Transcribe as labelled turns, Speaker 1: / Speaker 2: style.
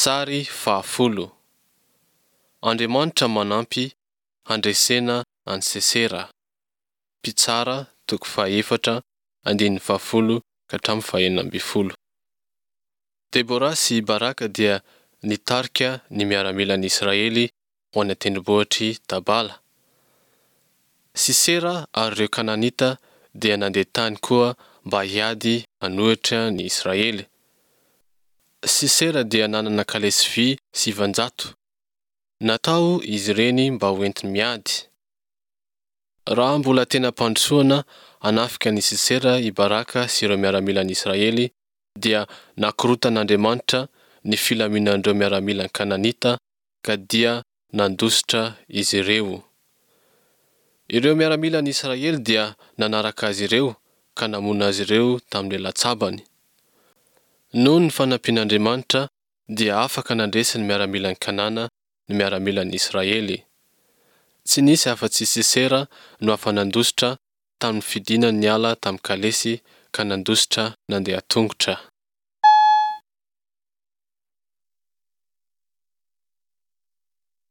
Speaker 1: Sary fahafolo. Andriamanitra manampy handresena an'i Sesera. Mpitsara toko fahaefatra andininy fahafolo ka hatramin'ny fahenina ambin'ny folo. Debora sy i Baraka dia nitarika ny miaramilan'i Israely ho any an-tendrombohitr'i Tabala. Sisera ary ireo Kananita dia nandeha tany koa mba hiady hanohitra ny Israely. Sisera dia nanana kalesy vy 900. Natao izy ireny mba ho enti-miady. Raha mbola tena am-pandrosoana hanafika an' i Sisera i Baraka sy ireo miaramilan'i Israely dia nakorotan'Andriamanitra ny filaminan'ireo miaramilan'ny Kananita ka dia nandositra izy ireo. Ireo miaramilan'i Israely dia nanaraka azy ireo ka namono azy ireo tamin'ny lelan-tsabany. Noho ny fanampian'Andriamanitra dia afaka nandresy ny miaramilan'i Kanana ny miaramilan'i Israely. Tsy nisy afa-tsy i Sisera no afa-nandositra tamin'ny fidinany niala tamin'ny kalesy ka nandositra nandeha tongotra.